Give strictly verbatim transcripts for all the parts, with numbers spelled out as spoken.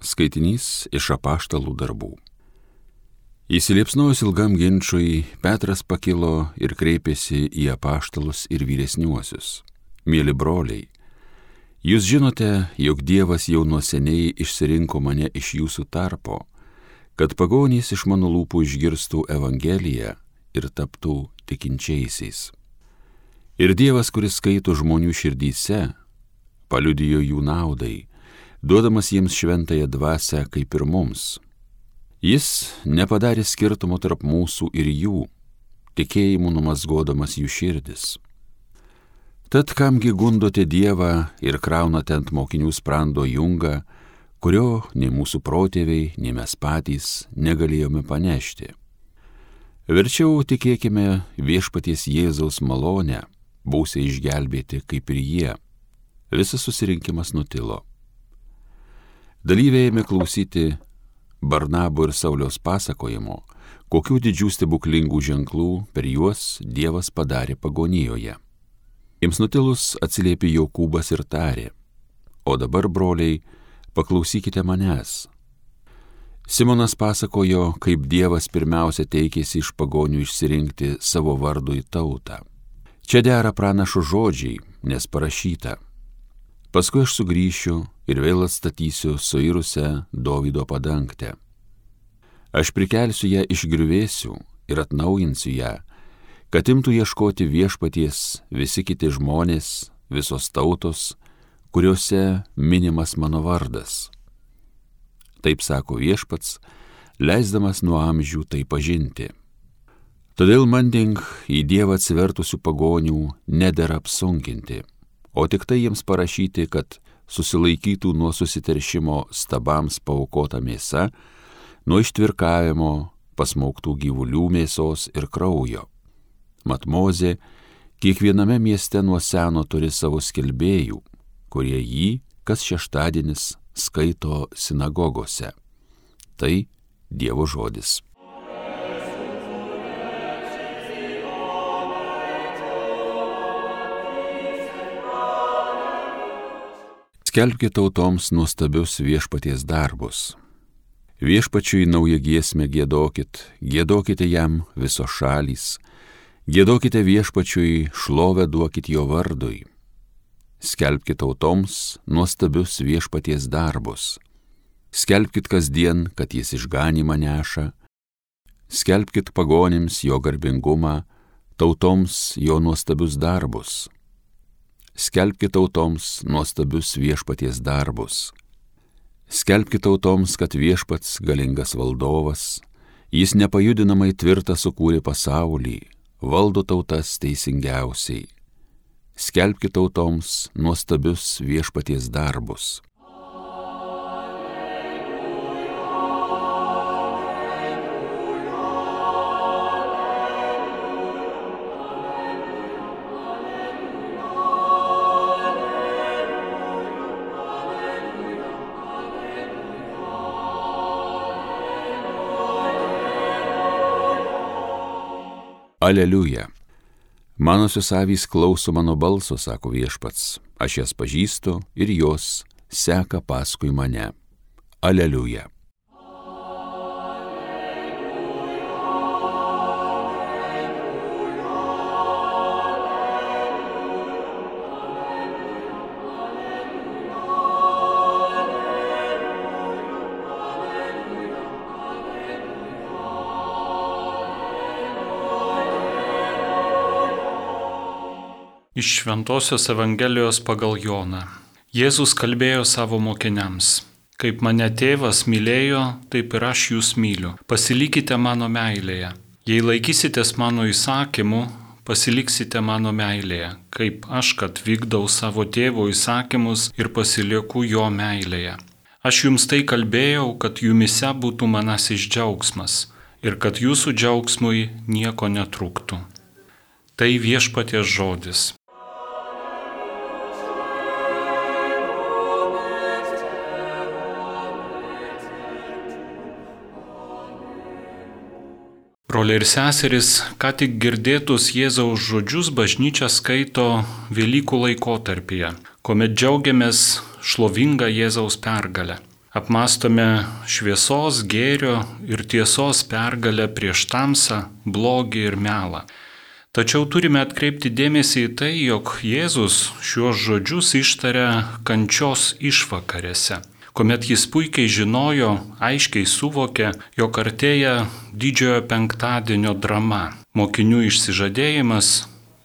Skaitinys iš Apaštalų darbų. Įsiliepsnojus ilgam ginčui, Petras pakilo ir kreipėsi į apaštalus ir vyresniuosius. Mieli broliai, jūs žinote, jog Dievas jau nuo seniai išsirinko mane iš jūsų tarpo, kad pagonys iš mano lūpų išgirstų Evangeliją ir taptų tikinčiaisiais. Ir Dievas, kuris skaito žmonių širdyse, paliudijo jų naudai, duodamas jiems šventąją dvasią kaip ir mums. Jis nepadarė skirtumo tarp mūsų ir jų, tikėjimu numazgodamas jų širdis. Tad kamgi gundote Dievą ir kraunate ant mokinių sprando jungą, kurio nei mūsų protėviai, nei mes patys negalėjome panešti. Verčiau tikėkime viešpaties Jėzaus malonę, būsite išgelbėti kaip ir jie. Visas susirinkimas nutilo. Dalyviai ėmė klausyti Barnabo ir Sauliaus pasakojimo, kokių didžių stebuklingų ženklų per juos Dievas padarė pagonijoje. Jiems nutilus atsiliepė Jokūbas ir tarė: O dabar, broliai, paklausykite manęs. Simonas pasakojo, kaip Dievas pirmiausia teikėsi iš pagonių išsirinkti savo vardui tautą. Čia dera pranašo žodžiai, nes parašyta: Paskui aš sugrįšiu ir vėl atstatysiu suirusią Dovydo padangtę. Aš prikelsiu ją iš griuvėsių ir atnaujinsiu ją, kad imtų ieškoti viešpaties visi kiti žmonės, visos tautos, kuriuose minimas mano vardas. Taip sako viešpats, leisdamas nuo amžių tai pažinti. Todėl manding į Dievą atsivertusių pagonių nedera apsunkinti, o tik tai jiems parašyti, kad susilaikytų nuo susiteršimo stabams paaukota mėsa, nuo ištvirkavimo, pasmauktų gyvulių mėsos ir kraujo. Mat Mozė kiekviename mieste nuo seno turi savo skelbėjų, kurie jį kas šeštadienis skaito sinagogose. Tai Dievo žodis. Skelbkite tautoms nuostabius viešpaties darbus. Viešpačiui naują giesmę giedokit, giedokite jam visos šalys, giedokite viešpačiui, šlovę duokit jo vardui. Skelbkite tautoms nuostabius viešpaties darbus. Skelbkit kasdien, kad jis išganymą neša. Skelbkit pagonims jo garbingumą, tautoms jo nuostabius darbus. Skelbkite tautoms nuostabius viešpaties darbus. Skelbkite tautoms, kad viešpats galingas valdovas, jis nepajudinamai tvirtą sukūrė pasaulį, valdo tautas teisingiausiai. Skelbkite tautoms nuostabius viešpaties darbus. Aleliuja. Manosios avys klauso mano balso, sako viešpats, aš jas pažįstu ir jos seka paskui mane. Aleliuja. Iš Šventosios Evangelijos pagal Joną. Jėzus kalbėjo savo mokiniams: Kaip mane tėvas mylėjo, taip ir aš jūs myliu. Pasilikite mano meilėje. Jei laikysitės mano įsakymų, pasiliksite mano meilėje, kaip aš, kad vykdau savo tėvo įsakymus ir pasilieku jo meilėje. Aš jums tai kalbėjau, kad jumise būtų manasis džiaugsmas ir kad jūsų džiaugsmui nieko netrūktų. Tai viešpaties žodis. Broliai ir seserys, ką tik girdėtus Jėzaus žodžius bažnyčia skaito Velykų laikotarpyje, kuomet džiaugiamės šlovingą Jėzaus pergalę. Apmastome šviesos, gėrio ir tiesos pergalę prieš tamsą, blogį ir melą. Tačiau turime atkreipti dėmesį į tai, jog Jėzus šiuos žodžius ištaria kančios išvakarėse, kuomet jis puikiai žinojo, aiškiai suvokė, jog artėja didžiojo penktadienio drama, mokinių išsižadėjimas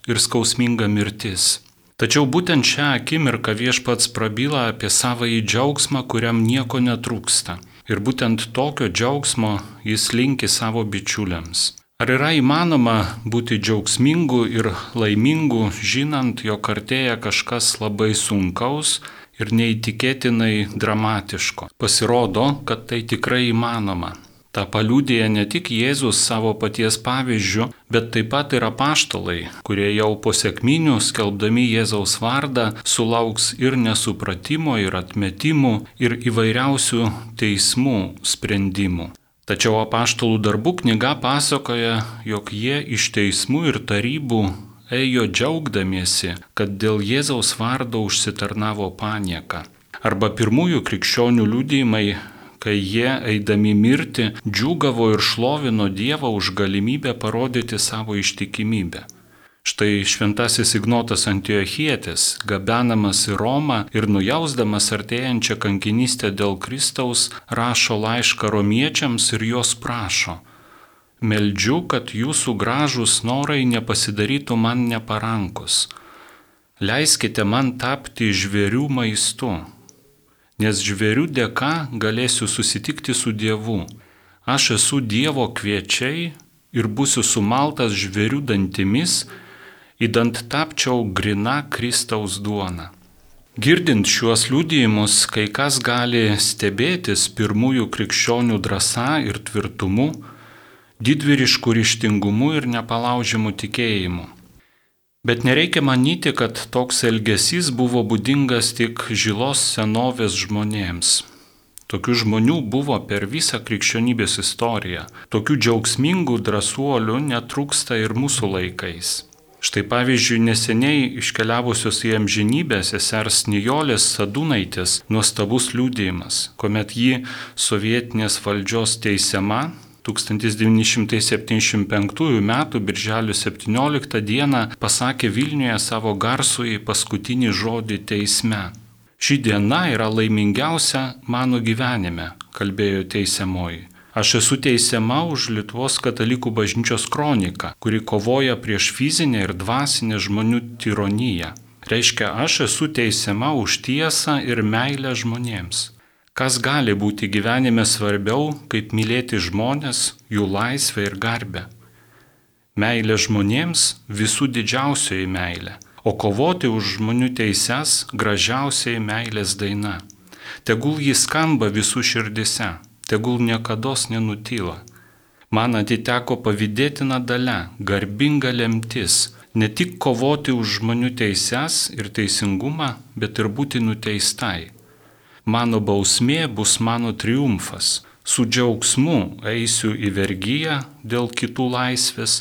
ir skausminga mirtis. Tačiau būtent šią akimirką Viešpats prabyla apie savąjį džiaugsmą, kuriam nieko netrūksta. Ir būtent tokio džiaugsmo jis linki savo bičiuliams. Ar yra įmanoma būti džiaugsmingu ir laimingu, žinant, jog artėja kažkas labai sunkaus ir neįtikėtinai dramatiško? Pasirodo, kad tai tikrai įmanoma. Ta paliudija ne tik Jėzus savo paties pavyzdžiu, bet taip pat ir apaštalai, kurie jau po sekminių skelbdami Jėzaus vardą sulauks ir nesupratimo, ir atmetimų, ir įvairiausių teismų sprendimų. Tačiau apaštalų darbų knyga pasakoja, jog jie iš teismų ir tarybų ėjo džiaugdamiesi, kad dėl Jėzaus vardo užsitarnavo panieką. Arba pirmųjų krikščionių liudijimai, kai jie, eidami mirti, džiūgavo ir šlovino Dievą už galimybę parodyti savo ištikimybę. Štai šventasis Ignotas Antiochietis, gabenamas į Romą ir nujausdamas artėjančią kankinystę dėl Kristaus, rašo laišką romiečiams ir jos prašo: meldžiu, kad jūsų gražūs norai nepasidarytų man neparankus. Leiskite man tapti žvėrių maistu, nes žvėrių dėka galėsiu susitikti su Dievu. Aš esu Dievo kviečiai ir būsiu sumaltas žvėrių dantimis, idant tapčiau grina Kristaus duona. Girdint šiuos liudijimus, kai kas gali stebėtis pirmųjų krikščionių drąsa ir tvirtumu, didvyrišku ryžtingumu ir nepalaužiamu tikėjimu. Bet nereikia manyti, kad toks elgesys buvo būdingas tik žilos senovės žmonėms. Tokių žmonių buvo per visą krikščionybės istoriją. Tokių džiaugsmingų drąsuolių netrūksta ir mūsų laikais. Štai pavyzdžiui, neseniai iškeliavusios į amžinybę sesers Nijolės Sadūnaitės nuostabus liudijimas, kuomet ji sovietinės valdžios teisiama tūkstantis devyni šimtai septyniasdešimt penktųjų metų birželio septynioliktą dieną pasakė Vilniuje savo garsųjį paskutinį žodį teisme. Ši diena yra laimingiausia mano gyvenime, kalbėjo teisiamoji. Aš esu teisiama už Lietuvos katalikų bažnyčios kroniką, kuri kovoja prieš fizinę ir dvasinę žmonių tironiją. Reiškia, aš esu teisiama už tiesą ir meilę žmonėms. Kas gali būti gyvenime svarbiau, kaip mylėti žmonės, jų laisvę ir garbę? Meilė žmonėms visų didžiausioji meilė, o kovoti už žmonių teises gražiausiai meilės daina. Tegul jis skamba visų širdise, tegul niekados nenutyla. Man atiteko pavydėtina dalia, garbinga lemtis, ne tik kovoti už žmonių teises ir teisingumą, bet ir būti nuteistai. Mano bausmė bus mano triumfas. Su džiaugsmu eisiu į vergiją dėl kitų laisvės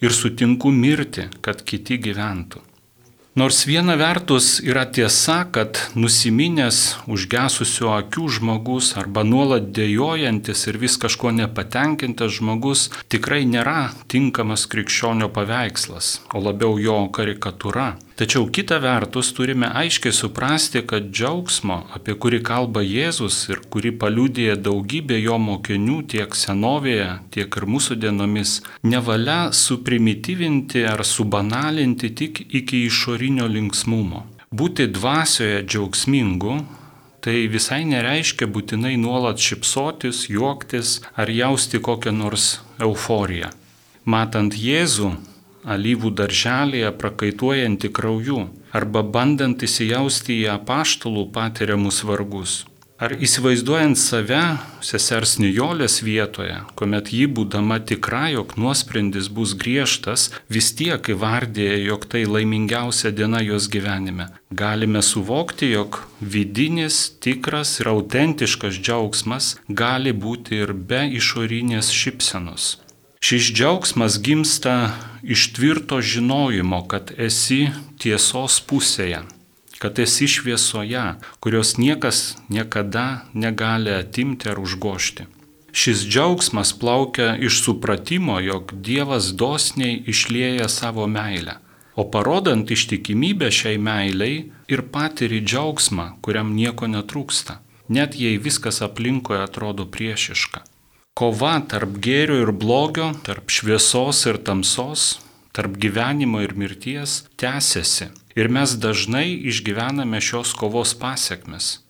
ir sutinku mirti, kad kiti gyventų. Nors viena vertus yra tiesa, kad nusiminęs, užgesusių akių žmogus arba nuolat dejuojantis ir vis kažko nepatenkintas žmogus tikrai nėra tinkamas krikščionio paveikslas, o labiau jo karikatūra. Tačiau kita vertus turime aiškiai suprasti, kad džiaugsmo, apie kurį kalba Jėzus ir kurį paliudija daugybė jo mokinių tiek senovėje, tiek ir mūsų dienomis, nevalia suprimityvinti ar subanalinti tik iki išorinio linksmumo. Būti dvasioje džiaugsmingu, tai visai nereiškia būtinai nuolat šypsotis, juoktis ar jausti kokią nors euforiją. Matant Jėzų, alyvų darželėje prakaituojantį krauju, arba bandant įsijausti į apaštalų patiriamus vargus. Ar įsivaizduojant save sesers Nijolės vietoje, kuomet ji būdama tikra, jog nuosprendis bus griežtas, vis tiek įvardėja, jog tai laimingiausia diena jos gyvenime. Galime suvokti, jog vidinis, tikras ir autentiškas džiaugsmas gali būti ir be išorinės šypsenos. Šis džiaugsmas gimsta iš tvirto žinojimo, kad esi tiesos pusėje, kad esi šviesoje, kurios niekas niekada negali atimti ar užgošti. Šis džiaugsmas plaukia iš supratimo, jog Dievas dosniai išlieja savo meilę, o parodant ištikimybę šiai meiliai ir patiri džiaugsmą, kuriam nieko netrūksta, net jei viskas aplinkoje atrodo priešiška. Kova tarp gėrio ir blogio, tarp šviesos ir tamsos, tarp gyvenimo ir mirties tęsiasi ir mes dažnai išgyvename šios kovos pasekmes.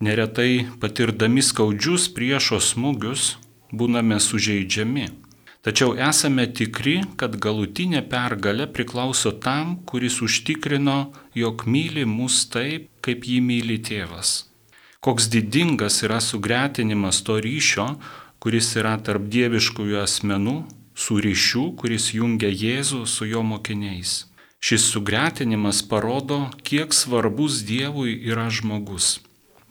Neretai patirdami skaudžius priešo smūgius būname sužeidžiami. Tačiau esame tikri, kad galutinė pergalė priklauso tam, kuris užtikrino, jog myli mus taip, kaip jį myli tėvas. Koks didingas yra sugretinimas to ryšio, kuris yra tarp dieviškųjų asmenų, su ryšiu, kuris jungia Jėzų su jo mokiniais. Šis sugretinimas parodo, kiek svarbus Dievui yra žmogus.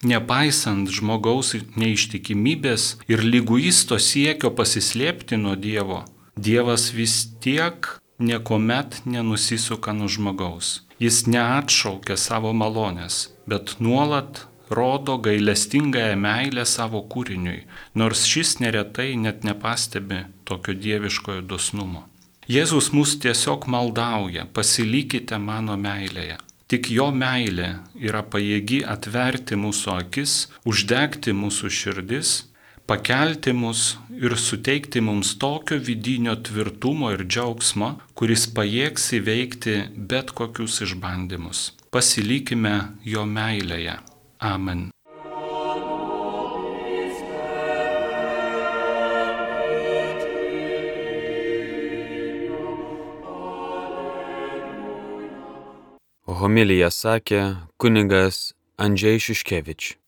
Nepaisant žmogaus neištikimybės ir lyguisto siekio pasislėpti nuo Dievo, Dievas vis tiek niekuomet nenusisuka nuo žmogaus. Jis neatšaukia savo malonės, bet nuolat rodo gailestingąją meilę savo kūriniui, nors šis neretai net nepastebi tokio dieviškojo dosnumo. Jėzus mus tiesiog maldauja, pasilikite mano meilėje. Tik jo meilė yra pajėgi atverti mūsų akis, uždegti mūsų širdis, pakelti mus ir suteikti mums tokio vidinio tvirtumo ir džiaugsmo, kuris pajėgs įveikti bet kokius išbandymus. Pasilikime jo meilėje. Amen. Homiliją sakė kunigas Andžej Šiškevič.